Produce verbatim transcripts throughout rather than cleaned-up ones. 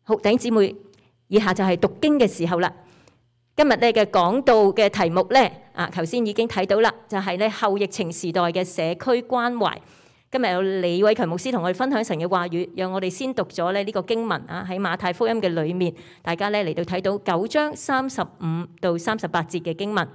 好，弟兄姊妹，以下就係讀經嘅時候啦。今日咧嘅講道嘅題目咧，啊，頭先已經睇到啦，就係咧後疫情時代嘅社區關懷。今日有李偉強牧師同我哋分享神嘅話語，讓我哋先讀咗咧呢個經文啊，喺馬太福音嘅裏面，大家咧嚟到睇到九章三十五到三十八節嘅經文。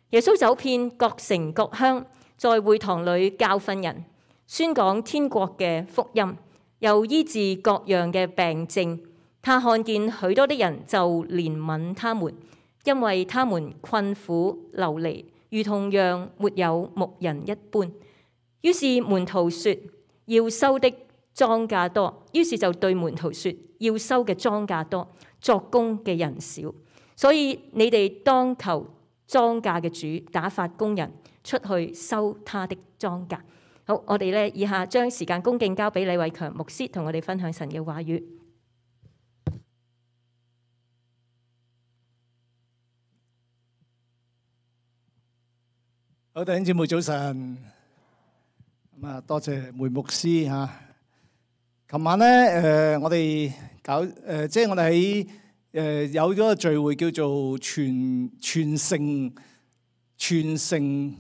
耶穌走遍各城各鄉，在會堂裏教訓人，宣講天國嘅福音，又醫治各樣嘅病症。他看見許多的人，就憐憫他們，因為他們困苦流離，如同羊沒有牧人一般。於是門徒說：要收的莊稼多，於是就對門徒說：要收嘅莊稼多，作工嘅人少，所以你哋當求莊稼嘅主打發工人出去收他的莊稼。好，我哋咧以下將時間恭敬交俾李偉強牧師，同我哋分享神嘅話語。好，弟兄姊妹早晨。咁啊，多謝梅牧師嚇。琴晚咧，誒我哋搞誒，即係我哋喺誒有咗個聚會，叫做全全城全城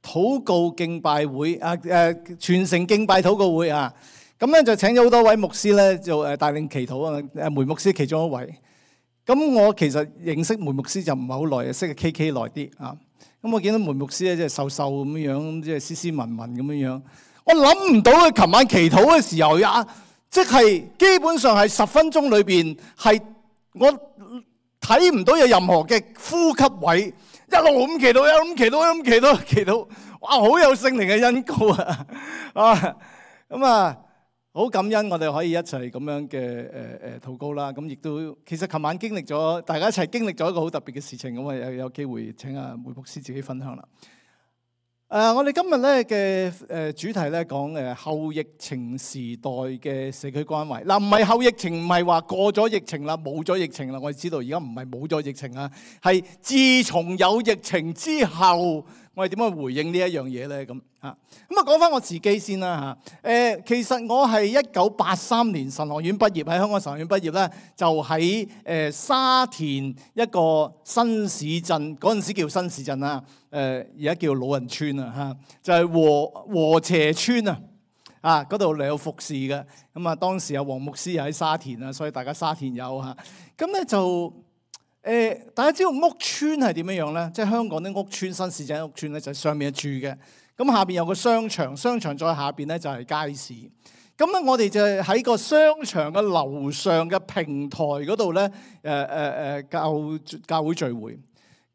禱告敬拜會啊，誒全城敬拜禱告會啊。咁咧就請咗好多位牧師咧，就誒帶領祈禱啊。誒梅牧師其中一位。咁我其實認識梅牧師就唔係好耐，識嘅 K K 耐啲啊。咁我見到梅牧師咧，即係瘦瘦咁樣樣，即係斯斯文文咁樣樣。我諗唔到佢琴晚祈禱嘅時候呀，即係基本上係十分鐘裏邊係我睇唔到有任何嘅呼吸位，一路咁祈禱，一路咁祈禱，一路咁祈禱，祈禱，哇！好有聖靈嘅恩膏啊！啊，咁啊，好感恩我哋可以一齊咁樣嘅誒誒禱告啦。咁亦都其實琴晚經歷咗，大家一齊經歷咗一個好特別嘅事情。咁啊有有機會請阿梅牧師自己分享啦。誒、呃，我哋今日咧嘅誒主題咧講誒後疫情時代嘅社區關懷。嗱，唔係後疫情，唔係話過咗疫情啦，冇咗疫情啦。我哋知道而家唔係冇咗疫情啊，係自從有疫情之後，我哋點樣回應呢一樣嘢咧？咁啊，咁啊講翻我自己先啦嚇。誒，其實我係一九八三年神學院畢業，喺香港神學院畢業咧，就喺誒沙田一個新市鎮，嗰陣時叫新市鎮啦。誒而家叫老人村啊嚇，就係禾禾輋村啊，啊嗰度嚟有服侍嘅。咁啊當時阿黃牧師又喺沙田啊，所以大家沙田有嚇。咁咧就誒、呃，大家知道屋村係點樣樣咧？即係香港啲屋村、新市鎮屋村咧，就係上面住嘅。咁下邊有個商場，商場再下邊咧就係街市。咁咧我哋就喺個商場嘅樓上嘅平台嗰度咧，誒誒誒教教會聚會。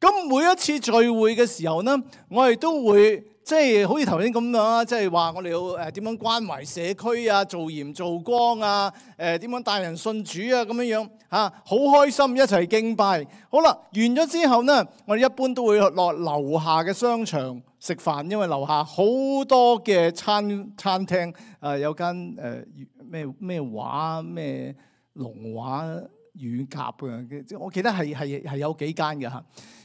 咁每一次聚會嘅時候呢，我哋都會即係好似頭先咁樣啦，即係話我哋要誒點樣關懷社區啊，做鹽做光啊，誒點樣帶人信主啊咁樣樣嚇，好開心一齊敬拜。好啦，完咗之後呢，我哋一般都會落樓下嘅商場食飯，因為樓下好多嘅餐餐廳，誒有間誒咩咩畫咩龍畫乳鴿嘅，我記得係係係有幾間嘅嚇。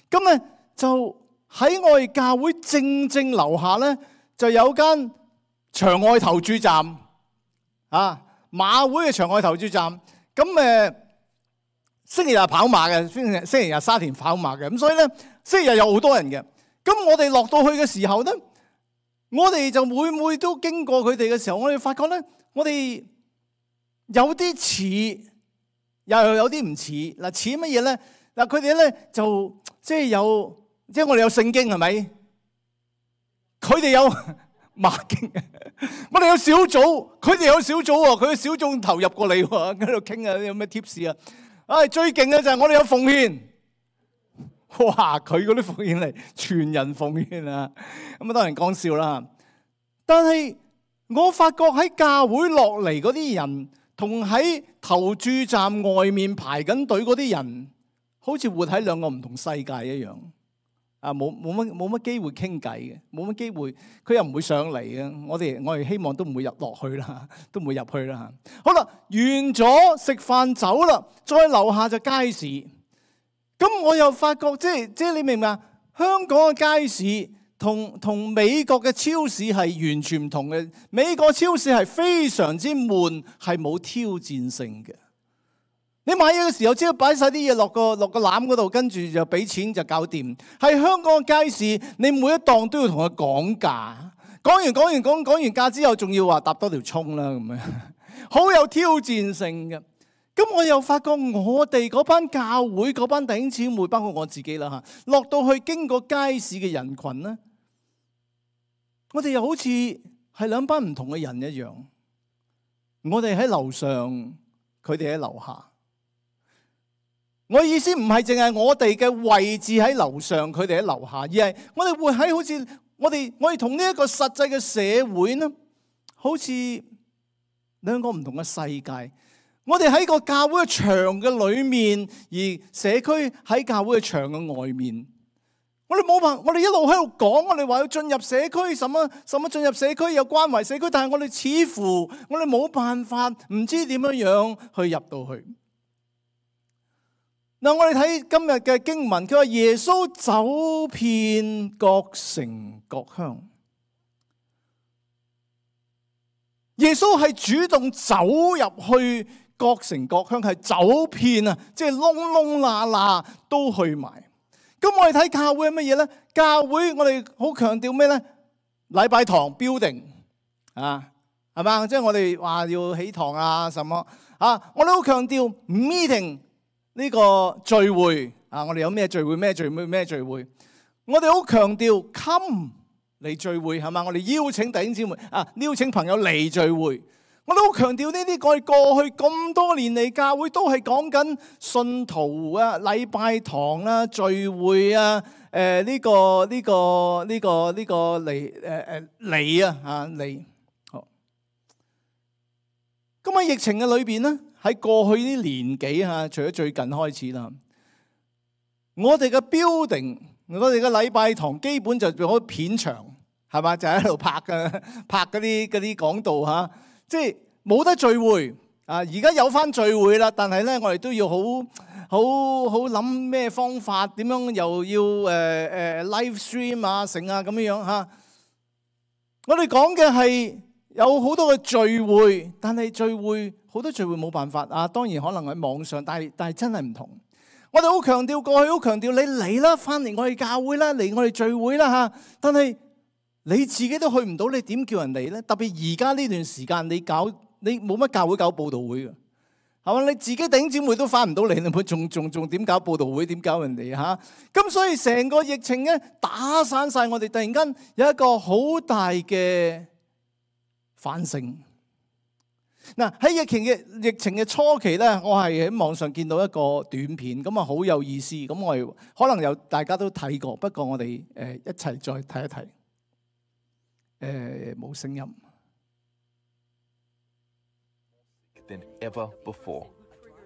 咁咧就喺我哋教會正正樓下咧，就有間場外投注站啊，馬會嘅場外投注站。咁誒星期日跑馬嘅，星期星期日沙田跑馬嘅，咁所以咧星期日有好多人嘅。咁我哋落到去嘅時候咧，我哋就每每都經過佢哋嘅時候，我哋發覺咧，我哋有啲似，又有啲唔似。嗱，似乜嘢咧？嗱，佢哋咧就即係有，即係我哋有聖經係咪？佢哋有馬經，我哋有小組，佢哋有小組喎。佢嘅小組投入過嚟喎，喺度傾啊，有咩 tips 啊？唉，最勁嘅就係我哋有奉獻。哇！佢嗰啲奉獻嚟，全人奉獻啊！咁啊，當然講笑啦。但係我發覺喺教會落嚟嗰啲人，同喺投注站外面排緊隊嗰啲人，好似活喺兩個唔同世界一樣。啊，冇冇乜冇乜機會傾偈嘅，冇乜機會，佢又唔會上嚟嘅。我哋我哋希望都唔會入落去啦，都唔會入去啦。好啦，完咗食飯走啦，再樓下就街市。咁我又發覺，即係即係你明唔明啊？香港嘅街市同同美國嘅超市係完全唔同嘅。美國超市係非常之悶，係冇挑戰性嘅。你買嘢嘅時候，只要擺晒啲嘢落個落個籃嗰度，跟住就俾錢就搞掂。喺香港嘅街市，你每一檔都要同佢講價，講完講完講講完價之後，仲要話搭多條葱啦咁樣，好有挑戰性嘅。咁我又發覺我哋嗰班教會嗰班弟兄姊妹，包括我自己啦嚇，落到去經過街市嘅人群咧，我哋又好似係兩班唔同嘅人一樣。我哋喺樓上，佢哋喺樓下。我意思唔係淨係我哋嘅位置喺樓上，佢哋喺樓下，而係我哋會喺好似我哋我哋同呢一個實際嘅社會呢，好似兩個唔同嘅世界。我哋喺個教會嘅牆嘅裏面，而社區喺教會嘅牆嘅外面。我哋冇辦法，我哋一路喺度講，我哋話要進入社區，什麼什麼進入社區有關懷社區，但係我哋似乎我哋冇辦法，唔知點樣樣去入到去。嗱，我哋睇今日嘅經文，佢話耶穌走遍各城各鄉。耶穌係主動走入去各城各鄉，係走遍啊，即係窿窿罅罅都去埋。咁我哋睇教會係乜嘢咧？教會我哋好強調咩咧？禮拜堂 building 啊，係嘛？即係我哋話要起堂啊，什麼啊？我哋好強調 meeting 呢個聚會啊！我哋有咩聚會？咩聚會？咩聚會？我哋好強調 come 嚟聚會，係嘛？我哋邀請弟兄姊妹啊，邀請朋友嚟聚會。我都好強調呢啲，我哋過去咁多年嚟，教會都係講緊信徒啊、禮拜堂啦、聚會啊、誒呢個呢個呢個呢個嚟誒誒嚟啊嚇嚟。好，咁喺疫情嘅裏邊咧，喺過去啲年幾嚇，除咗最近開始啦，我哋嘅 building，我哋嘅禮拜堂基本就變咗片場，係嘛？就喺度拍嘅拍嗰啲嗰啲講道嚇。即係冇得聚會啊！而家有翻聚會啦，但係咧，我哋都要好好好諗咩方法，點樣又要誒誒、呃、live stream 啊、成啊咁樣樣嚇。我哋講嘅係有好多嘅聚會，但係聚會好多聚會冇辦法啊。當然可能喺網上，但係但係真係唔同。我哋好強調過去，好強調你嚟啦，翻嚟我哋教會啦，嚟我哋聚會啦嚇。但係你自己都去唔到，你點叫人嚟咧？特別而家呢段時間，你搞你冇乜教會搞佈道會嘅，係嘛？你自己弟兄姊妹都翻唔到嚟，你咪仲仲仲點搞佈道會？點搞人哋嚇？咁所以成個疫情咧打散晒我哋，突然間有一個好大嘅反省。嗱，喺疫情嘅疫情嘅初期咧，我係喺網上見到一個短片，咁啊好有意思。咁我哋可能有大家都睇過，不過我哋誒一齊再睇一睇。誒，冇聲音。Than ever before,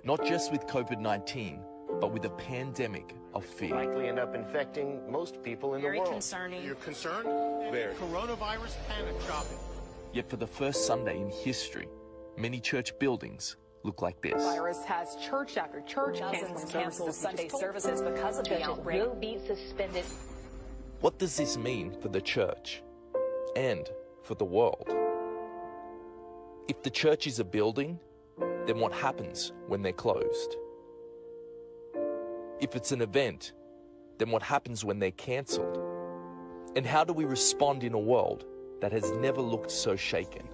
not just with COVID nineteen, but with a pandemic of fear. Likely end up infecting most people in the Very world. concerning. You're concerned? Very. Coronavirus panic shopping. Yet for the first Sunday in history, many church buildings look like this. The virus has church after church Dozens canceling cancel Sunday services services because of the Churches outbreak. will be suspended. What does this mean for the church and for the world? If the church is a building, then what happens when they're closed? If it's an event, then what happens when they're cancelled? And how do we respond in a world that has never looked so shaken?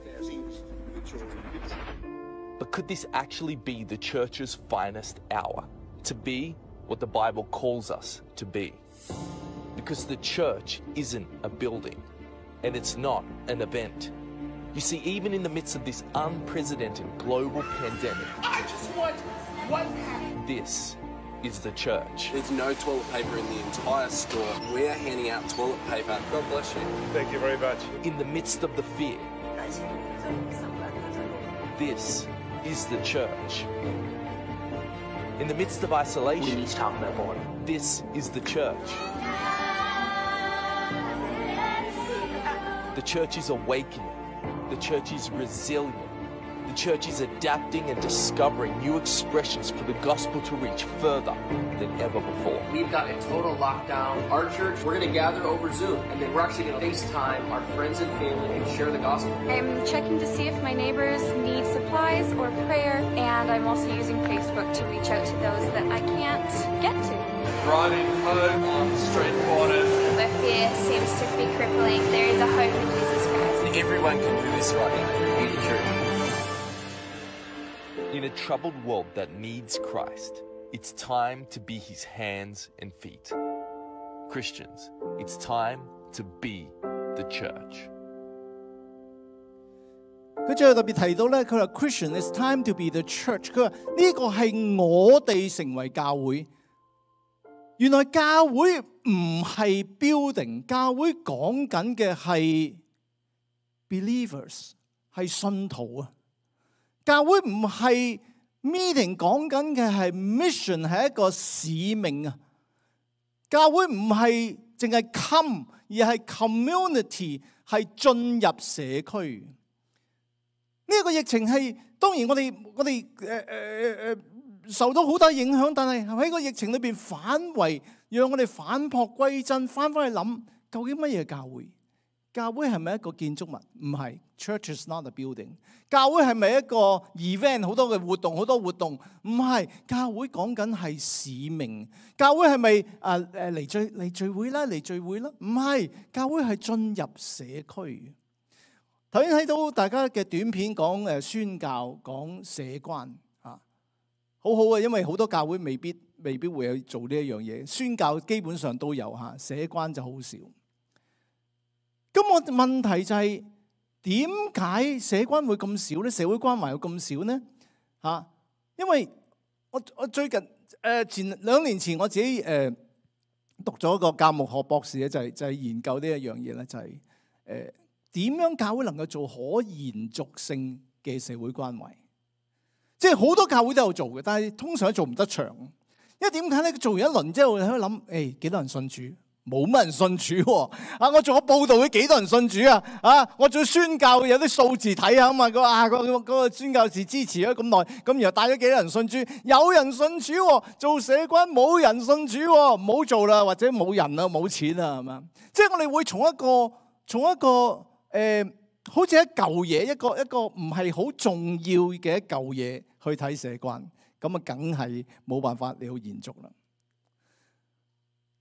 But could this actually be the church's finest hour? To be what the Bible calls us to be? Because the church isn't a building, and it's not an event. You see, even in the midst of this unprecedented global pandemic, I just want one pack. this is the church. There's no toilet paper in the entire store. We're handing out toilet paper. God bless you. Thank you very much. In the midst of the fear, this is the church. In the midst of isolation, this is the church. The church is awakening. The church is resilient. The church is adapting and discovering new expressions for the gospel to reach further than ever before. We've got a total lockdown. Our church, we're going to gather over Zoom, and then we're actually going to FaceTime our friends and family and share the gospel. I'm checking to see if my neighbors need supplies or prayer, and I'm also using Facebook to reach out to those that I can't get to. Driving home on street corners. Where fear seems to be crippling, there is a hope in Jesus Christ. Everyone can do this right now. Be the church. In a troubled world that needs Christ, it's time to be his hands and feet. Christians, it's time to be the church. 佢最後特別提到咧，佢話 Christian it's time to be the church。佢話呢個係我哋成為教會。原來教會唔係 building， 教會講緊嘅係 believers， 係信徒啊。教會唔係 meeting， 講緊嘅係 mission， 係一個使命啊。教會唔係淨係 come， 而係 community， 係進入社區。呢、這個疫情係當然我哋我哋誒誒誒受到好大影響，但係喺個疫情裏邊反為，讓我哋反璞歸真，翻返去諗究竟乜嘢教會？教會係咪一個建築物？唔係 ，Church is not a building。教會係咪一個 event？ 好多嘅活動，好多活動，唔係。教會講緊係使命。教會係咪誒誒嚟聚嚟聚會啦？嚟聚會啦？唔係，教會係進入社區。頭先睇到大家嘅短片講誒宣教，講社關啊，好好啊，因為好多教會未必未必會有做呢一樣嘢。宣教基本上都有嚇，社關就好少。咁我問題就係點解社關會咁少咧？社會關懷會咁少呢？嚇，因為我我最近誒前兩年前我自己誒讀咗個教牧學博士咧，就係就係研究呢一樣嘢咧，就係誒點樣教會能夠做可延續性嘅社會關懷。即係好多教會都有做嘅，但係通常都做唔得長。因為點解咧？做完一輪之後，你喺度諗，誒幾多人信主？冇乜人信主喎！啊，我做咗報道，幾多人信主啊？啊，我做宣教有啲數字睇下啊嘛，個啊個嗰個宣教士支持咗咁耐，咁然後帶咗幾多人信主？有人信主喎，做社關冇人信主喎，唔好做啦，或者冇人啦，冇錢啦，係嘛？即係我哋會從一個從一個誒、呃，好似一嚿嘢，一個一個唔係好重要嘅一嚿嘢去睇社關，咁啊，梗係冇辦法你要延續啦。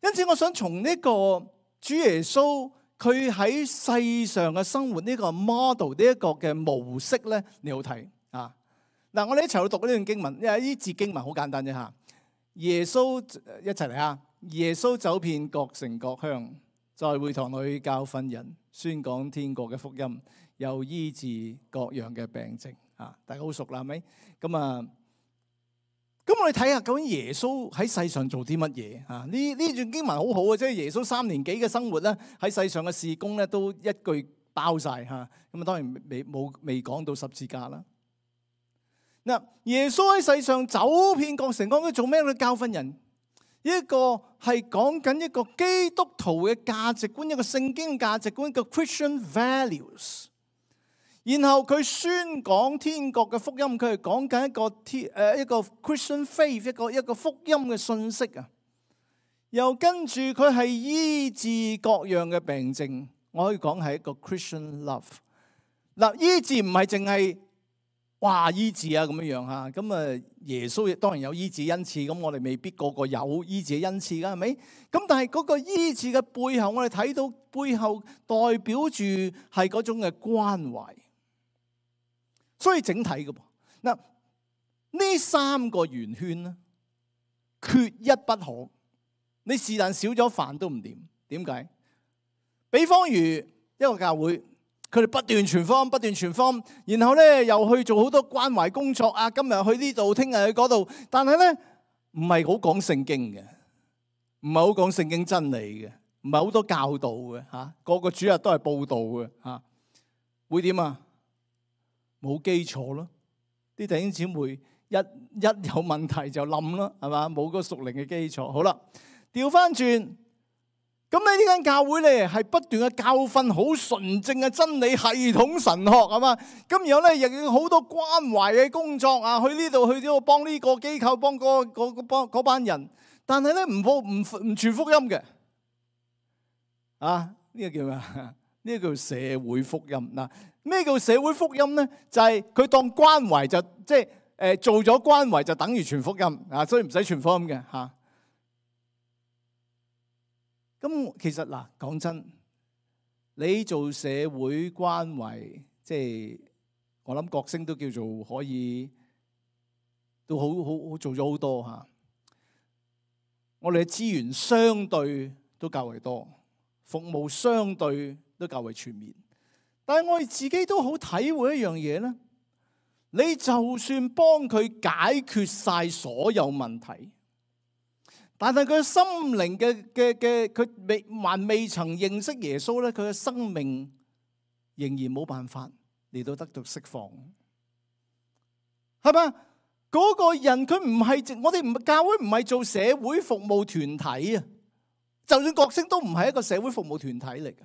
因此，我想從呢個主耶穌佢喺世上嘅生活呢個 model 呢一個嘅模式咧，你好睇啊！嗱，我哋一齊去讀呢段經文，因為呢節經文好簡單啫嚇。耶穌一齊嚟啊！耶穌走遍各城各鄉，在會堂裏教訓人，宣講天國嘅福音，又醫治各樣嘅病症啊！大家好熟啦，係咪？咁啊〜咁我哋睇下究竟耶穌喺世上做啲乜嘢啊？呢呢段經文好好啊，即係耶穌三年幾嘅生活咧，喺世上嘅事工咧都一句包晒嚇。咁啊當然未冇未講到十字架啦。嗱，耶穌喺世上走遍各城，講佢做咩咧？教訓人。一個係講緊一個基督徒嘅價值觀，一個聖經嘅價值觀，一個 Christian values。然後佢宣講天國嘅福音，佢係講緊一個天誒一個 Christian faith， 一個一個福音嘅信息啊。又跟住佢係醫治各樣嘅病症，我可以講係一個 Christian love。嗱，醫治唔係淨係哇醫治啊咁樣樣嚇，咁啊耶穌亦當然有醫治恩賜，咁我哋未必個個有醫治恩賜㗎，係咪？咁但係嗰個醫治嘅背後，我哋睇到背後代表住係嗰種嘅關懷。所以整體嘅噃，嗱呢三個圓圈咧，缺一不可。你是但少咗飯都唔掂。點解？比方如一個教會，佢哋不斷傳福音，不斷傳福音，然後咧又去做好多關懷工作啊。今日去呢度，聽日去嗰度，但係咧唔係好講聖經嘅，唔係好講聖經真理嘅，唔係好多教導嘅嚇。個個主日都係報道嘅嚇，會點啊？冇基礎咯，啲弟兄姊妹一一有問題就冧啦，係嘛？冇個屬靈嘅基礎。好啦，調翻轉，咁你呢間教會咧係不斷嘅教訓好純正嘅真理系統神學係嘛？咁然後咧亦有好多關懷嘅工作啊，去呢度去呢度幫呢個機構幫嗰嗰幫嗰班人，但係咧唔報唔唔傳福音嘅啊？呢個叫咩啊？呢個叫社會福音嗱。咩叫社會福音咧？就係佢當關懷就即係誒做咗關懷就等於傳福音啊，所以唔使傳福音嘅嚇。咁其實嗱，講真，你做社會關懷，即係我諗國星都叫做可以，都好好好做咗好多嚇。我哋嘅資源相對都較為多，服務相對都較為全面。但係我哋自己都好體會一樣嘢咧，你就算幫佢解決晒所有問題，但係佢心靈嘅嘅嘅佢未還未曾認識耶穌咧，佢嘅生命仍然冇辦法嚟到得到釋放，係嘛？嗰個人佢唔係我哋唔教會唔係做社會服務團體啊，就算國星都唔係一個社會服務團體嚟嘅。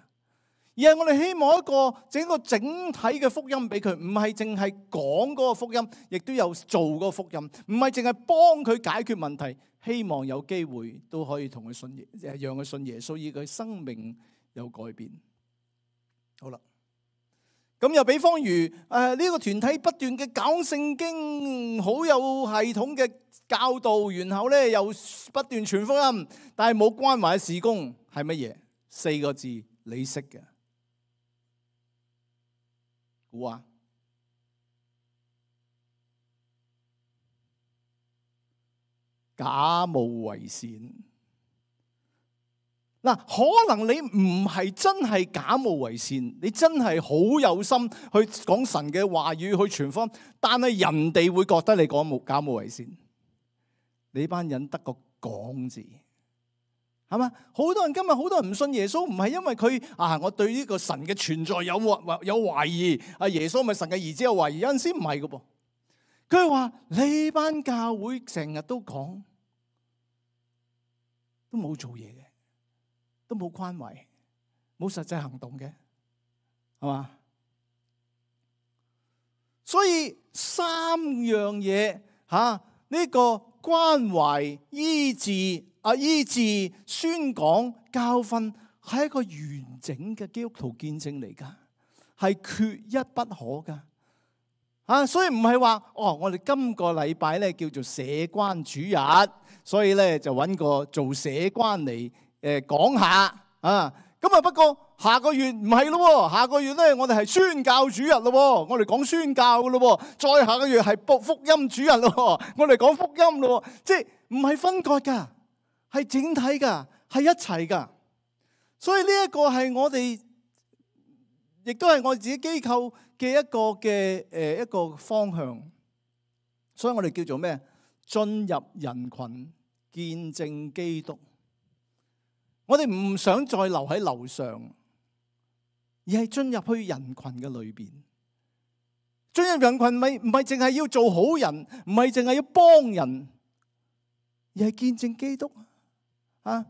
而係我哋希望一個整個整體嘅福音俾佢，唔係淨係講嗰個福音，亦都有做嗰個福音，唔係淨係幫佢解決問題，希望有機會都可以同佢信耶，讓佢信耶穌，以佢生命有改變。好啦，咁又比方如誒呢個團體不斷嘅講聖經，好有系統嘅教導，然後咧又不斷傳福音，但係冇關懷嘅事工係乜嘢？四個字，你識嘅。估啊！假冒為善嗱，可能你唔係真係假冒為善，你真係好有心去講神嘅話語，去傳福音，但係人哋會覺得你講冇假冒為善，你班人得個講字。係嘛？好多人今日好多人唔信耶穌，唔係因為佢啊，我對呢個神嘅存在有有懷疑。啊，耶穌咪神嘅兒子有懷疑？有陣時唔係㗎噃。佢話你班教會成日都講，都冇做嘢嘅，都冇關懷，冇實際行動嘅，係嘛？所以三樣嘢吓，呢個關懷、醫治。啊！醫治、宣講、教訓係一個完整嘅基督徒見證嚟噶，係缺一不可噶。啊，所以唔係話哦，我哋今個禮拜咧叫做社關主日，所以咧就揾個做社關嚟誒講下啊。咁啊，不過下個月唔係咯，下個月咧我哋係宣教主日咯，我哋講宣教噶咯。再下個月係福福音主日咯，我哋講福音咯，即係唔係分割噶。係整體噶，係一齊噶，所以呢一個係我哋，亦都係我自己機構嘅一個嘅誒一個方向。所以我哋叫做咩？進入人群見證基督。我哋唔想再留喺樓上，而係進入去人群嘅裏邊。進入人群咪唔係淨係要做好人，唔係淨係要幫人，而係見證基督。啊！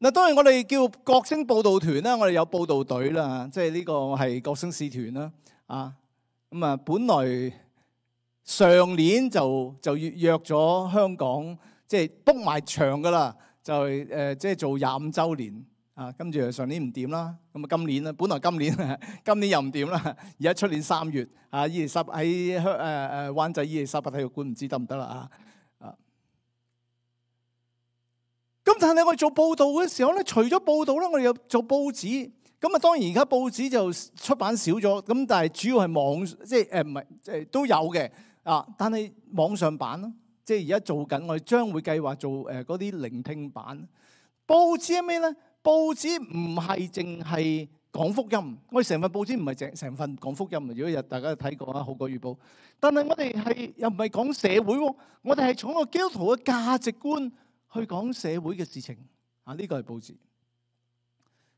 嗱，當然我哋叫國星佈道團啦，我哋有佈道隊啦，即係呢個係國星使團啦。啊，咁啊，本來上年就就約約咗香港，即係 book 埋場噶啦，就係誒，即係做廿五週年啊。跟住上年唔掂啦，咁啊今年啦，本來今年今年又唔掂啦，而家出年三月啊，伊利沙伯喺香誒誒灣仔伊利沙伯體育館唔知得唔得啦啊！咁但係我哋做報道嘅時候咧，除咗報道咧，我哋又做報紙。咁啊，當然而家報紙就出版少咗，咁但係主要係網，即係誒唔係，即係都有嘅啊。但係網上版咯，即係而家做緊，我哋將會計劃做誒嗰啲聆聽版。報紙係咩咧？報紙唔係淨係講福音，我哋成份報紙唔係成成份講福音。如果有大家睇過啊，《號角月報》，但係我哋係又唔係講社會喎，我哋係從個基督徒嘅價值觀去講社會嘅事情啊！呢個係報紙。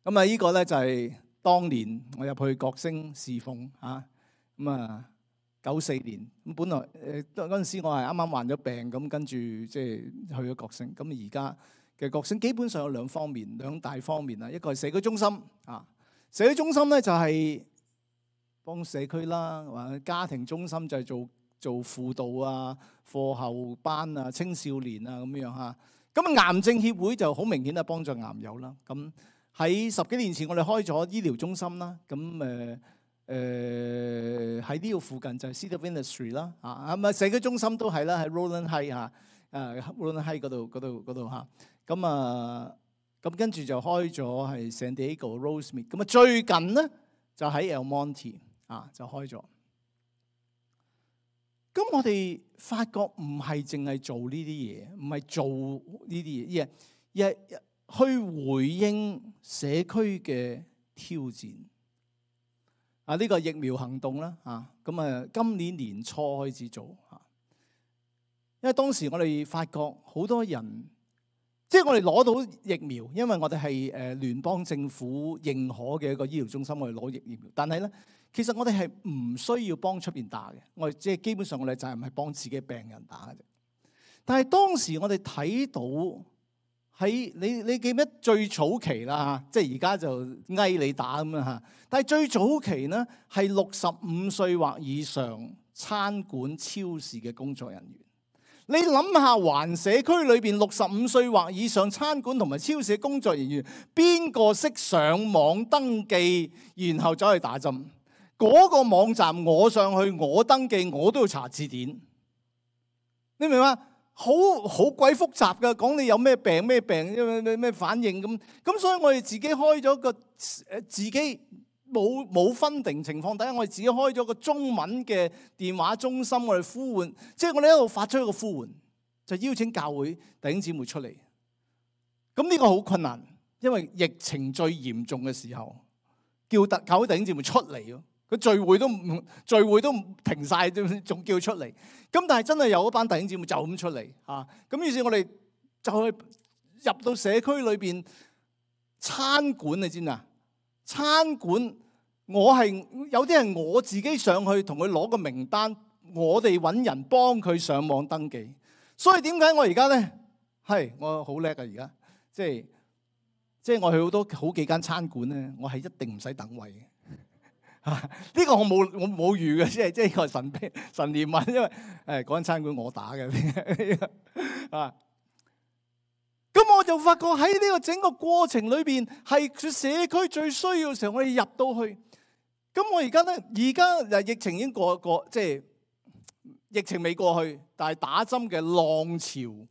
咁啊，呢個咧就係當年我入去國星侍奉啊。咁啊，九四年咁，本來誒嗰陣時我係啱啱患咗病，咁跟住即係去咗國星。咁而家嘅角色，基本上有兩方面、兩大方面啦。一個係社區中心啊，社區中心咧就係幫社區啦，或者家庭中心就係做做輔導啊、課後班啊、青少年啊咁樣嚇。咁癌症協會就好明顯係幫助癌友啦。咁喺十幾年前我哋開咗醫療中心啦。咁誒誒喺呢度附近就係 City of Industry 啦。啊咁啊社區中心都係啦，喺 Rowland Heights 嚇，誒 Rowland Heights 嗰度嗰度嗰度嚇。咁啊咁跟住就開咗係 San Diego Rosemead。咁啊最近咧就喺 El Monte 啊就開咗。咁我哋發覺唔係淨係做呢啲嘢，唔係做呢啲嘢，而係去回應社區嘅挑戰。啊，呢個疫苗行動啦，啊，咁啊，今年年初開始做嚇，因為當時我哋發覺好多人，即係我哋攞到疫苗，因為我哋係誒聯邦政府認可嘅一個醫療中心，我哋攞疫苗，但係咧。其實我哋係唔需要幫出邊打嘅，我哋即係基本上我哋就係唔係幫自己病人打嘅啫。但係當時我哋睇到喺你你記唔記得最早期啦嚇，即係而家就嗌你打咁樣嚇。但係最早期呢係六十五歲或以上餐館超市嘅工作人員。你諗下，環社區裏邊六十五歲或以上餐館同埋超市嘅工作人員，邊個識上網登記，然後走去打針？嗰個網站我上去，我登記，我都要查字典。你明嘛？好好鬼複雜㗎，講你有咩病咩病，咩咩反應咁。咁所以我哋自己開咗個誒，自己冇冇分定情況底下，我哋自己開咗個中文嘅電話中心，我哋呼喚，即係我哋一路發出一個呼喚，就邀請教會弟兄姊妹出嚟。咁呢個好困難，因為疫情最嚴重嘅時候，叫特教會弟兄姊妹出嚟咯。佢聚會都唔聚會都停晒，仲叫出嚟。咁但係真係有一班弟兄姊妹就咁出嚟嚇。咁於是我哋就去入到社區裏邊餐館，你知唔知啊？餐館我係有啲係我自己上去同佢攞個名單，我哋揾人幫佢上網登記。所以點解我而家咧係我好叻啊！而家即係即係我去好多好幾間餐館咧，我係一定唔使等位嘅。呢、這個我冇我冇預嘅，即係即係個神秘神憐憫，因為誒嗰間餐館我打嘅啊。咁我就發覺喺呢個整個過程裏邊，係社區最需要嘅時候，我哋入到去。咁我而家咧，而家誒疫情已經過過，即係疫情未過去，但係打針嘅浪潮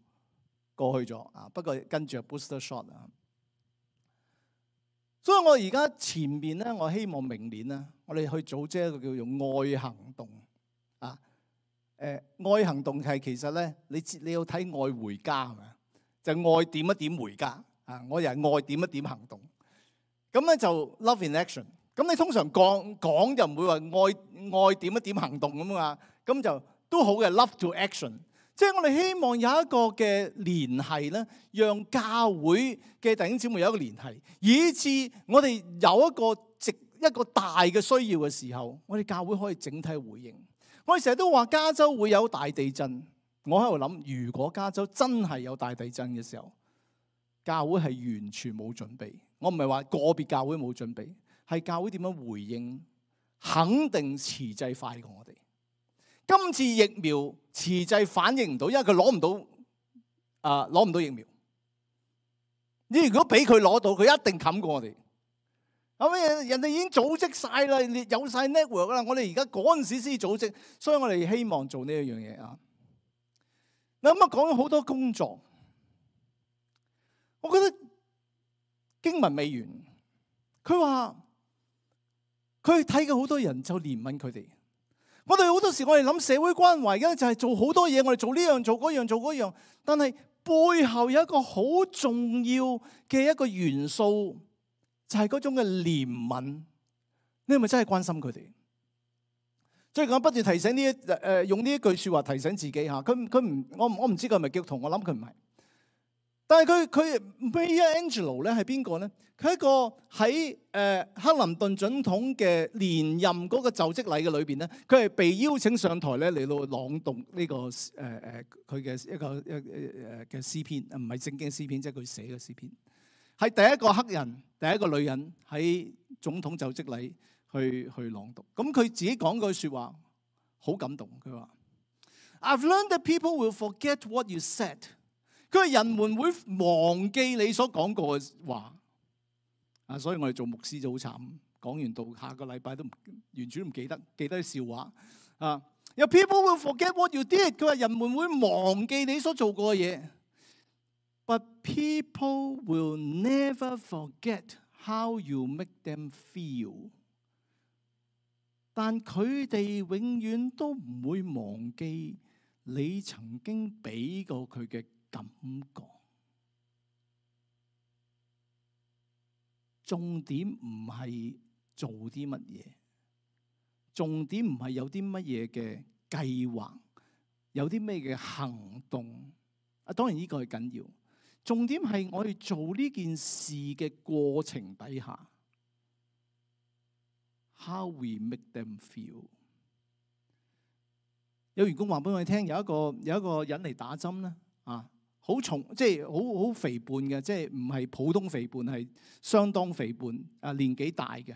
過去咗啊。不過跟住係 booster shot 啊。所以我而家前面咧，我希望明年咧，我哋去組織一個叫做愛行動啊。誒，愛行動係其實咧，你你要睇愛回家係咪啊？就愛點一點回家啊！我又係愛點一點行動。咁咧就 love in action。咁你通常講講就唔會話愛愛點一點行動咁嘛。咁就都好嘅 love to action。即係我哋希望有一個嘅聯繫咧，讓教會嘅弟兄姊妹有一個聯繫，以致我哋有一個直一個大嘅需要嘅時候，我哋教會可以整體回應。我哋成日都話加州會有大地震，我喺度諗，如果加州真係有大地震嘅時候，教會係完全冇準備。我唔係話個別教會冇準備，係教會點樣回應，肯定遲滯快過我哋。今次疫苗遲滯反應唔到，因為佢攞唔到啊，攞唔到疫苗。你如果俾佢攞到，佢一定冚過我哋。後尾人哋已經組織晒啦，有晒 network 啦。我哋而家嗰陣時先組織，所以我哋希望做呢一樣嘢啊。嗱咁啊，講咗好多工作，我覺得經文未完。佢話佢睇嘅好多人就憐憫佢哋。我哋好多時我哋諗社會關懷嘅就係做好多嘢，我哋做呢樣做嗰樣做嗰樣，但係背後有一個好重要嘅一個元素，就係嗰種嘅憐憫。你係咪真係關心佢哋？最近我不斷提醒呢一誒用呢一句說話提醒自己吓，佢佢唔我我唔知佢係咪基督徒，我諗佢唔係。但係佢佢 Maya Angelou 咧係邊個咧？佢係一個喺誒克林頓總統嘅連任嗰個就職禮嘅裏邊咧，佢係被邀請上台咧嚟到朗讀呢個誒誒佢嘅一個一誒嘅詩篇，唔係正經詩篇，即係佢寫嘅詩篇。係第一個黑人，第一個女人喺總統就職禮去去朗讀。咁佢自己講句説話好感動，佢話：I've learned that people will forget what you said。佢話人們會忘記你所講過嘅話。啊，所以我哋做牧師就好慘，講完道下個禮拜都唔完全都唔記得，記得啲笑話。啊，有 people will forget what you did。佢話人們會忘記你所做過嘅嘢。But people will never forget how you make them feel。但佢哋永遠都唔會忘記你曾經俾過佢嘅感覺。重點唔係做啲乜嘢，重點唔係有啲乜嘢嘅計劃，有啲咩嘅行動。啊，當然呢個係緊要。重點係我哋做呢件事嘅過程底下 ，how we make them feel。有員工話俾我哋聽，有一個有一個人嚟打針咧，啊，好重，即係好好肥胖嘅，即係唔係普通肥胖，係相當肥胖，啊，年紀大嘅。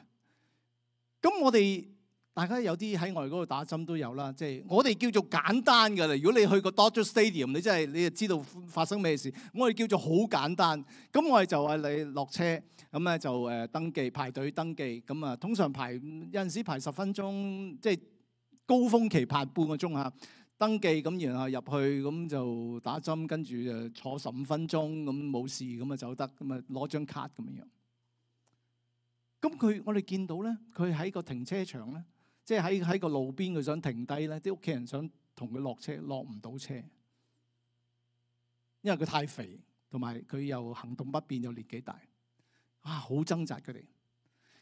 咁我哋大家有啲喺外嗰度打針都有啦，即係我哋叫做簡單㗎啦。如果你去過 Dodger Stadium， 你真係你就知道發生咩事。我哋叫做好簡單。咁我哋就係你落車，咁咧就誒登記排隊登記。咁啊，通常排有陣時排十分鐘，即係高峰期排半個鐘嚇。登記咁然後入去咁就打針，跟住誒坐十五分鐘咁冇事咁啊走得，咁啊攞張卡咁樣樣。咁佢我哋見到咧，佢喺個停車場咧。即係喺喺個路邊，佢想停低咧，啲屋企人想同佢落車，落唔到車，因為佢太肥，同埋佢又行動不便，又年紀大，啊，好掙扎佢哋。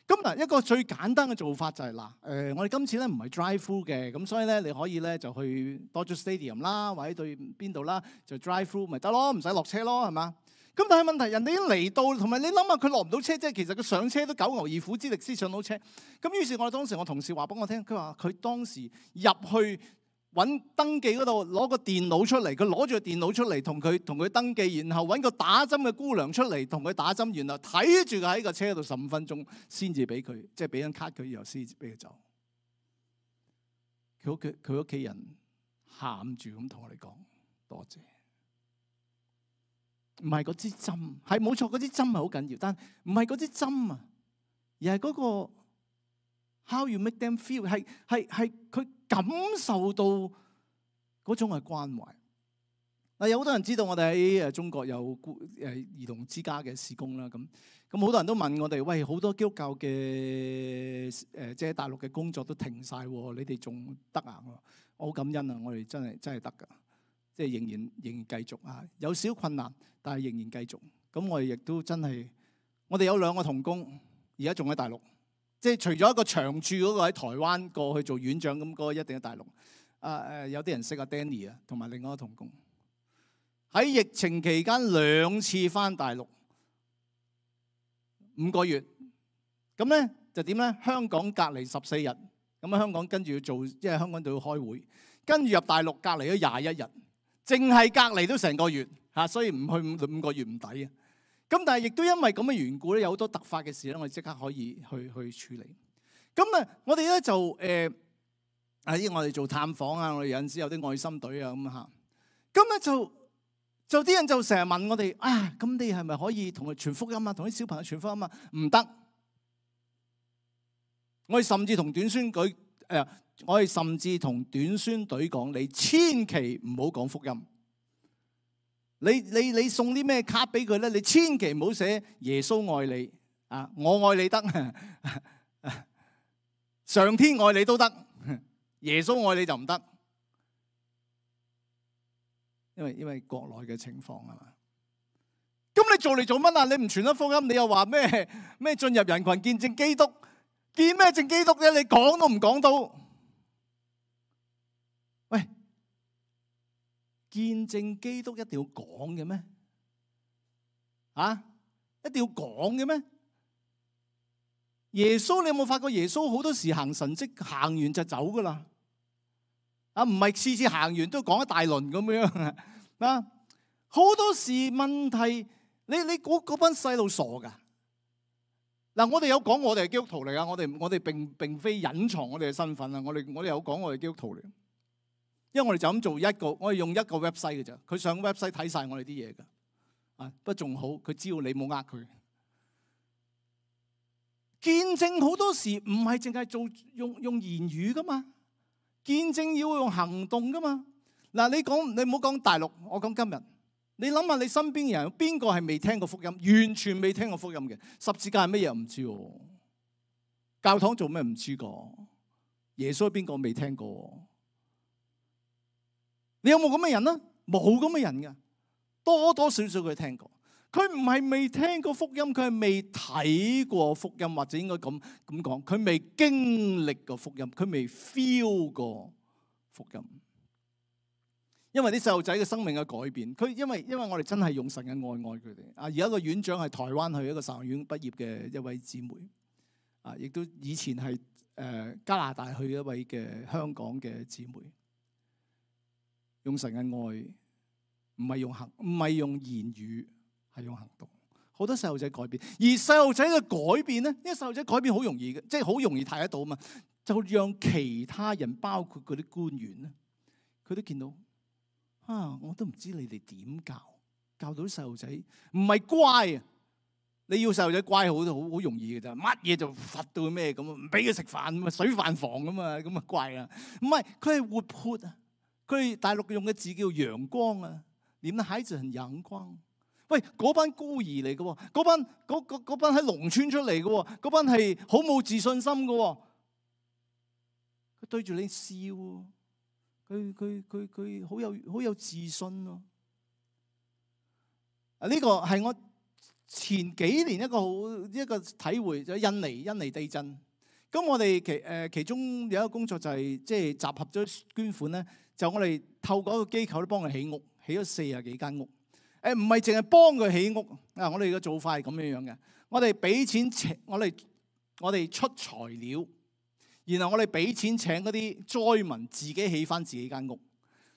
咁嗱，一個最簡單嘅做法就係、是、嗱，誒、呃，我哋今次咧唔係 drive through 嘅，咁所以咧你可以咧就去 Dodger Stadium 啦，或者對邊度啦，就 drive through 咪得咯，唔使落車咯，係嘛？咁但係問題，人哋已經嚟到，同埋你諗下佢落唔到車，即係其實佢上車都九牛二虎之力先上到車。咁於是我當時我同事話俾我聽，佢話佢當時入去揾登記嗰度攞個電腦出嚟，佢攞住個電腦出嚟同佢同佢登記，然後揾個打針嘅姑娘出嚟同佢打針，然後睇住佢喺個車度十五分鐘先至俾佢，即係俾張卡佢，然後先至俾佢走。佢屋企佢屋企人喊住咁同我哋講多謝。唔係嗰支針，係冇錯，嗰支針係好緊要，但唔係嗰支針啊，而係嗰個 how you make them feel， 係係係佢感受到嗰種係關懷。嗱，有好多人知道我哋喺誒中國有誒兒童之家嘅事工啦，咁咁好多人都問我哋，喂，好多基督教嘅誒即係大陸嘅工作都停晒，你哋仲得啊？我好感恩啊，我哋真係真係得㗎。即係仍然仍然繼續啊，有少困難，但係仍然繼續。咁我哋亦都真係，我哋有兩個同工，而家仲喺大陸。即係除咗一個長駐嗰個喺台灣過去做院長咁，嗰個一定喺大陸。啊誒，有啲人識阿 Danny 啊，同埋另外一個同工喺疫情期間兩次返大陸五個月。咁咧就點咧？香港隔離十四日，咁喺香港跟住要做，即係香港度要開會，跟住入大陸隔離咗廿一日。淨係隔離都成個月嚇，所以唔去五個月唔抵啊！咁但係亦都因為咁嘅緣故咧，有好多突發嘅事咧，我哋即刻可以去去處理。咁啊，我哋咧就誒喺我哋做探訪啊，我哋有陣時有啲愛心隊啊咁嚇。咁咧就就啲人就成日問我哋啊，咁你係咪可以同佢傳福音啊？同啲小朋友傳福音啊？唔得！我哋甚至同短宣舉誒。我哋甚至同短宣隊講：你千祈唔好講福音。你你你送啲咩卡俾佢咧？你千祈唔好寫耶穌愛你啊，我愛你得，上天愛你都得，耶穌愛你就唔得。因為因為國內嘅情況啊嘛。咁你做嚟做乜啊？你唔傳得福音，你又話咩咩進入人群見證基督？見咩證基督啫？你講都唔講到。喂，見證基督一定要講嘅咩？啊，一定要講嘅咩？耶穌，你有冇發覺耶穌好多時行神蹟，行完就走噶啦？啊，唔係次次行完都講一大輪咁樣啊！好多時問題，你你嗰嗰班細路傻噶？嗱，我哋有講我哋係基督徒嚟噶，我哋我哋並並非隱藏我哋嘅身份啊！我哋我哋有講我哋基督徒嚟，因為我哋就咁做一個，我哋用一個 website 嘅咋，佢上 website 睇晒我哋啲嘢噶，啊，不過仲好，佢知道你冇呃佢。見證好多時唔係淨係做用用言語噶嘛，見證要用行動噶嘛。嗱，你講你唔好講大陸，我講今日。你諗下你身邊嘅人有邊個係未聽過福音？完全未聽過福音嘅。十字架係乜嘢唔知喎？教堂做咩唔知個？耶穌邊個未聽過？你有冇咁嘅人啊？冇咁嘅人噶，多多少少佢聽過。佢唔係未聽過福音，佢係未睇過福音，或者應該咁咁講，佢未經歷過福音，佢未 feel 過福音。因為啲細路仔嘅生命嘅改變，佢因為因為我哋真係用神嘅愛愛佢哋。啊，而家個院長係台灣去一個神學院畢業嘅一位姊妹，啊，亦都以前係誒加拿大去一位嘅香港嘅姊妹，用神嘅愛，唔係用行，唔係用言語。係用行動，好多細路仔改變，而細路仔嘅改變咧，因為細路仔改變好容易嘅，即係好容易睇得到嘛，就讓其他人，包括嗰啲官員咧，佢都見到啊，我都唔知你哋點教，教到啲細路仔唔係乖啊，你要細路仔乖好好好容易嘅咋，乜嘢就罰到咩咁啊，唔俾佢食飯咁啊，水飯房咁啊，咁啊乖啊，唔係佢係活潑啊，佢係大陸用嘅字叫陽光啊，你們的孩子很陽光。喂，嗰班孤兒嚟嘅喎，嗰班嗰嗰嗰班喺農村出嚟嘅喎，嗰班係好冇自信心嘅喎。佢對住你笑，佢佢佢佢好有好有自信咯。啊，呢個係我前幾年一個好一個體會，就係印尼印尼地震。咁我哋其誒其中有一個工作就係即係集合咗捐款咧，就我哋透過一個機構咧幫佢起屋，起咗四十幾間屋。誒，唔係淨係幫佢起屋啊！我哋嘅做法係咁樣樣嘅，我哋俾錢請我哋，我哋出材料，然後我哋俾錢請嗰啲災民自己起翻自己間屋。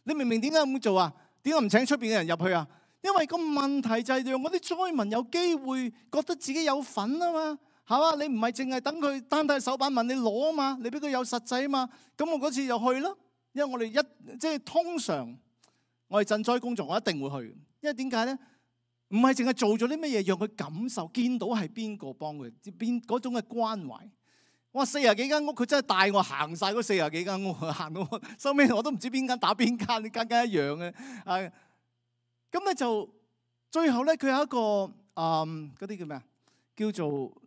你明唔明點解咁做啊？點解唔請出邊嘅人入去啊？因為個問題就係讓嗰啲災民有機會覺得自己有份啊嘛，係嘛？你唔係淨係等佢單睇手板問你攞啊嘛，你俾佢有實際啊嘛。咁我嗰次就去啦，因為我哋一即係通常我哋賑災工作，我一定會去。因為點解咧？唔係淨係做咗啲乜嘢，讓佢感受見到係邊個幫佢，邊嗰種嘅關懷。哇！四十幾間屋，佢真係帶我行晒嗰四十幾間屋，行到收尾我都唔知邊間打邊間，間間一樣嘅。啊，咁咧就最後咧，佢有一個誒嗰啲叫咩啊？叫做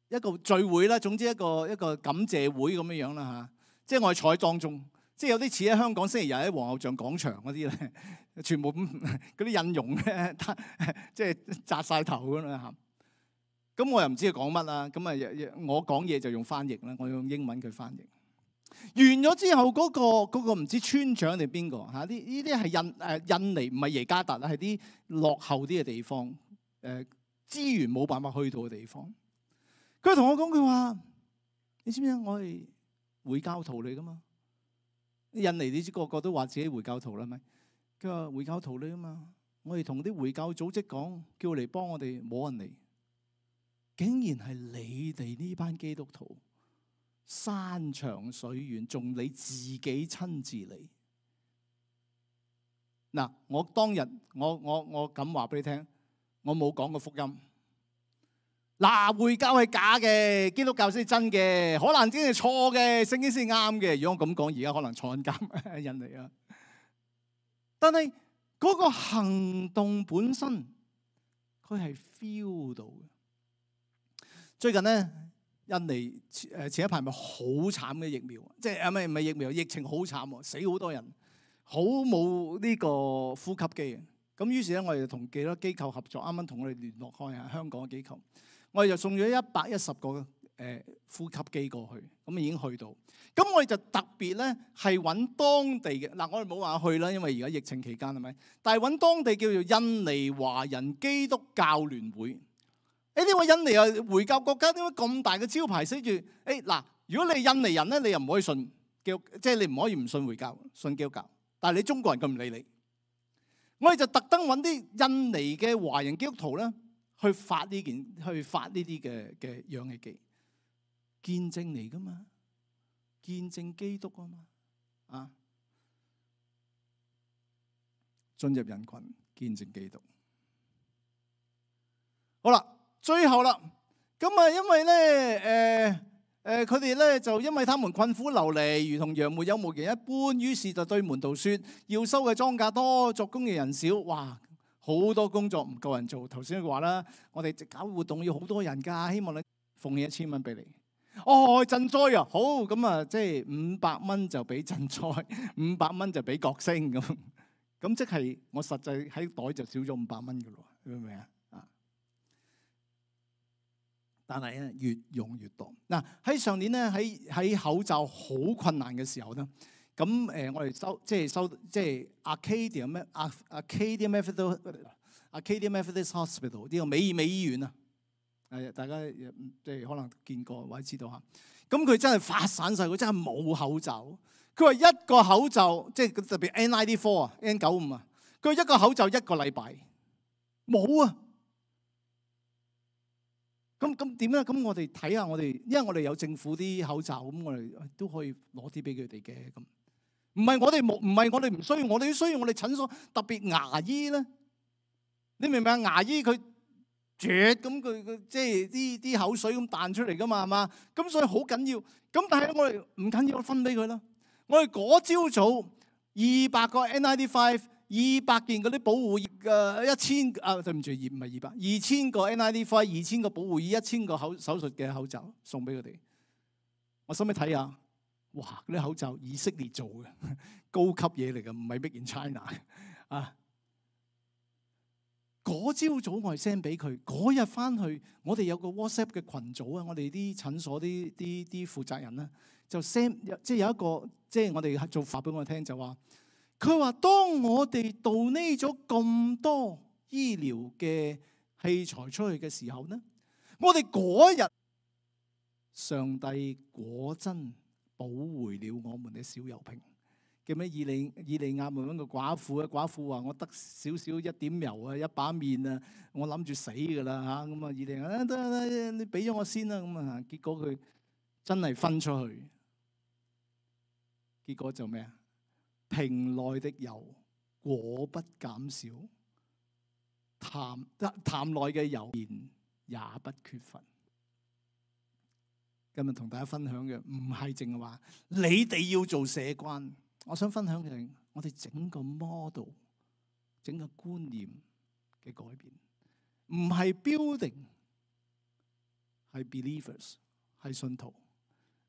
一個聚會啦，總之一個一個感謝會咁樣樣啦嚇。即係我係坐喺當中。即係有啲似喺香港星期日喺皇后像廣場嗰啲咧，全部嗰啲印傭咧，即係紮晒頭咁啦嚇。咁我又唔知佢講乜啦。咁啊，我講嘢就用翻譯啦，我用英文佢翻譯。完咗之後，嗰個嗰個唔知村長定邊個嚇？呢呢啲係印誒印尼，唔係耶加達啦，係啲落後啲嘅地方，誒資源冇辦法去到嘅地方。佢同我講，佢話：你知唔知啊？我係回教徒嚟噶嘛。印尼你知個個都話自己回教徒啦，咪佢話回教徒嚟啊嘛！我哋同啲回教組織講，叫嚟幫我哋，冇人嚟，竟然係你哋呢班基督徒，山長水遠，仲你自己親自嚟。嗱，我當日我我我咁話俾你聽，我冇講過福音。嗱，回教係假嘅，基督教先係真嘅，可能真係錯嘅，聖經先係啱嘅。如果我咁講，而家可能坐緊監印尼啊。但係嗰個行動本身，佢係 feel 到嘅。最近咧，印尼誒前一排咪好慘嘅疫苗，即係啊唔係唔係疫苗，疫情好慘，死好多人，好冇呢個呼吸機。咁於是咧，我哋就同幾多機構合作，啱啱同我哋聯絡開啊，香港嘅機構。我哋就送咗一百一十個誒誒呼吸機過去，咁已經去到。咁我哋就特別咧係揾當地嘅嗱，我哋冇話去啦，因為而家疫情期間係咪？但係揾當地叫做印尼華人基督教聯會。誒呢個印尼啊回教國家點解咁大嘅招牌寫住？誒嗱，如果你係印尼人咧，你又唔可以信基督，即係你唔可以唔信回教，信基督教。但係你中國人佢唔理你。我哋就特登揾啲印尼嘅華人基督徒咧，去發呢件，去發呢啲嘅嘅氧氣機，見證嚟噶嘛，見證基督啊嘛，啊，進入人群見證基督。好啦，最後啦，咁啊，因為咧，誒、呃。誒佢哋咧就因為他們困苦流離，如同羊沒有牧人一般，於是就對門徒説：要收嘅莊稼多，作工嘅人少。哇！好多工作唔夠人做。頭先佢話啦，我哋搞活動要好多人㗎，希望你奉獻一千蚊俾你。哦，賑災啊，好咁啊，即係五百蚊就俾賑災，五百蚊就俾角星咁。咁即係我實際喺袋就少咗五百蚊㗎咯，明唔明啊？但係咧越用越多。嗱，喺上年咧喺喺口罩好困難嘅時候咧，咁誒我哋收即係收即係 Arcadia 咩 Arcadia Methodist Arcadia Methodist Hospital 呢個美美醫院啊，誒大家即係可能見過或者知道嚇。咁佢真係發散晒，佢真係冇口罩。佢話一個口罩即係特別 N 九十四 啊 N 九十五啊，佢話一個口罩一個禮拜冇啊。咁咁點咧？咁我哋睇下我哋，因為我哋有政府啲口罩，咁我哋都可以攞啲俾佢哋嘅。咁唔係我哋冇，唔係我哋唔需要，我哋都需要。我哋診所特別牙醫咧，你明唔明啊？牙醫佢啜咁佢佢即係啲啲口水咁彈出嚟噶嘛，係嘛？咁所以好緊要。咁但係我哋唔緊要，分俾佢啦。我哋嗰朝早二百個 N 九十五。二百件嗰啲保護嘅一千啊，對唔住，二唔係二百，二千個 N 九十五，二千個保護衣，一千個口手術嘅口罩送俾佢哋。我使唔使睇下？哇！嗰啲口罩以色列做嘅，高級嘢嚟嘅，唔係 Made in China 啊！嗰朝早我係 send 俾佢，嗰日翻去我哋有個 WhatsApp 嘅群組啊，我哋啲診所啲啲啲負責人咧就 send， 即係有一個即係我哋做發俾我聽就話。佢話：當我哋donate咗咁多醫療嘅器材出去嘅時候呢，我哋嗰日上帝果真保回了我們嘅小油瓶。叫咩？以利以利亞問個寡婦啊，寡婦話：我得少少一點油啊，一把麵啊，我諗住死㗎啦嚇。咁啊，以利亞得得，你俾咗我先啦。咁啊，結果佢真係分出去，結果就咩啊？瓶內的油果不減少，壇壇內嘅油也不缺乏。今日同大家分享嘅唔係淨係話你哋要做社關，我想分享嘅係我哋整個 model、整個觀念嘅改變，唔係 building， 係 believers， 係信徒，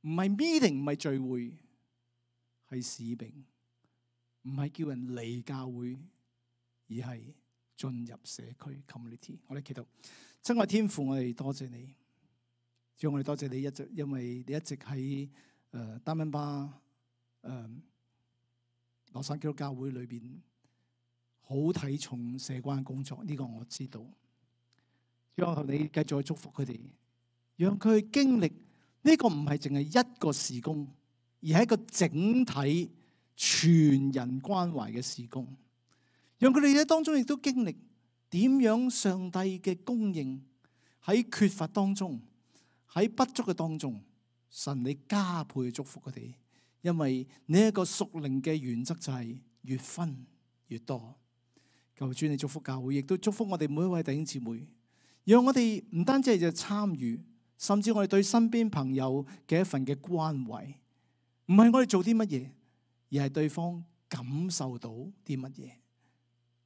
唔係 meeting， 唔係聚會，係使命。唔係叫人嚟教會，而係進入社區 community。我哋祈禱，親愛天父，我哋多謝你，主，我哋多謝你一直，因為你一直喺誒丹賓巴誒羅山基督教會裏邊好睇重社關工作，呢、這個我知道。主，我求你繼續去祝福佢哋，讓佢去經歷呢、這個唔係淨係一個事工，而係一個整體。全人關懷嘅事工，讓佢哋喺當中亦都經歷點樣上帝嘅供應，喺缺乏當中，喺不足嘅當中，神你加倍祝福佢哋，因為呢一個屬靈嘅原則就係越分越多。求主你祝福教會，亦都祝福我哋每一位弟兄姊妹，讓我哋唔單止係就參與，甚至我哋對身邊朋友嘅一份嘅關懷，唔係我哋做啲乜嘢。而係對方感受到啲乜嘢？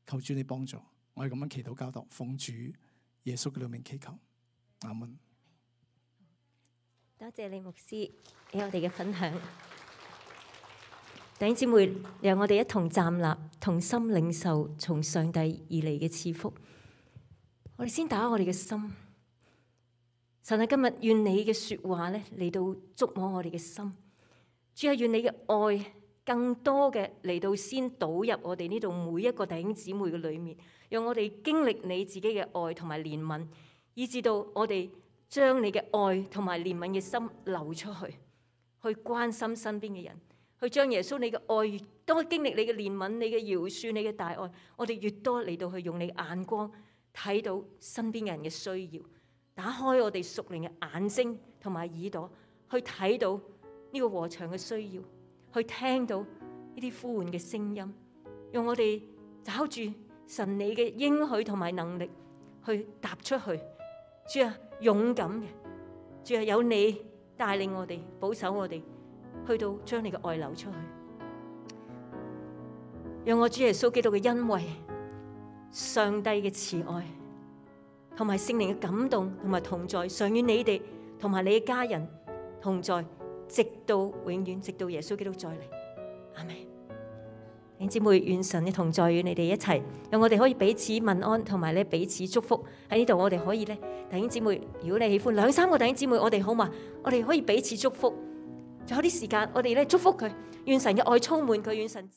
求主你幫助，我係咁樣祈禱交託，奉主耶穌嘅名祈求，阿門。多謝李牧師俾我哋嘅分享，弟兄姊妹，讓我哋一同站立，同心領受從上帝而嚟嘅賜福。我哋先打開我哋嘅心，神啊，今日願你嘅說話咧嚟到觸摸我哋嘅心。主啊，願你嘅愛更多嘅嚟到先倒入我哋呢度每一個弟兄姊妹嘅裏面，讓我哋經歷你自己嘅愛同埋憐憫，以至到我哋將你嘅愛同埋憐憫嘅心流出去，去關心身邊嘅人，去將耶穌你嘅愛越多經歷你嘅憐憫、你嘅饒恕、你嘅大愛，我哋越多嚟到去用你眼光睇到身邊人嘅需要，打開我哋屬靈嘅眼睛同埋耳朵，去睇到呢個禾場嘅需要，去聽到呢啲呼喚嘅聲音，用我哋找住神你嘅應許同埋能力去踏出去。主啊，勇敢嘅，主啊，有你帶領我哋，保守我哋，去到將你嘅愛流出去。讓我主耶穌基督嘅恩惠、上帝嘅慈愛同埋聖靈嘅感動同埋同在，常與你哋同埋你嘅家人同在，直到永遠，直到耶穌基督再嚟。阿們。弟兄姊妹，願神嘅同在與你哋一齊，讓我哋可以彼此問安，同埋咧彼此祝福。喺呢度我哋可以咧，弟兄姊妹，如果你喜歡兩三個弟兄姊妹，我哋好嘛？我哋可以彼此祝福。仲有啲時間，我哋咧祝福佢，願神嘅愛充滿佢，願神。